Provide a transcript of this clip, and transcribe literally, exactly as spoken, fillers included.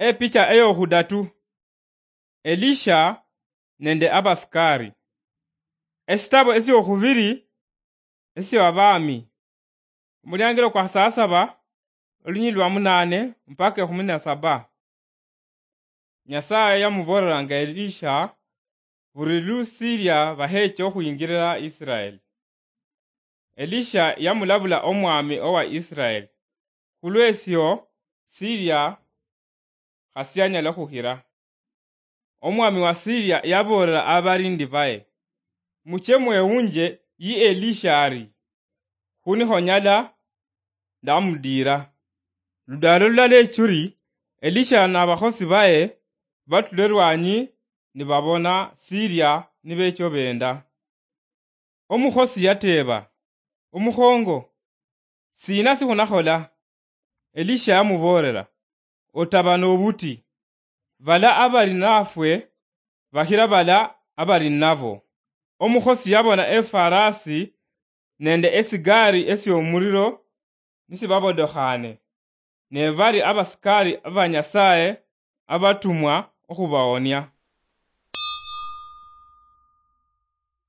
Epicha eyokhudatu. Elisha nende abasikari. Esitabo esiokhubiri esio Abami. Omuliangilo kwa sasaba, olunyili lwa munane mpaka ekhumi na saba. Nyasaye yamuboolelanga Elisha buli lu Siria baheecha okhwingilila Israel. Elisha yamulabula omwami owa Israel, khulwesio Siria khasianyala khukhira. Omwami wa Siria yaboolela abalindi baye, "Muche mwewunje yi Elisha ari, khunikhonyala ndamudiira." Ludaalo lulala echuri, Elisha nabakhosi baye batula erwanyi nibabona Siria nibecha obenda. Omukhosi yateeba, "Omukhongo, sina sikhunakhola?" Elisha yamuboolera, "Otaba nobuti. Bala abali nafwe bakhira bala abali nabo." Omukhosi yabona efarasi nende esigari esiomuliro nisibabodokhane, ne bali abasikari aba Nyasaye abatumwa okhubawonia.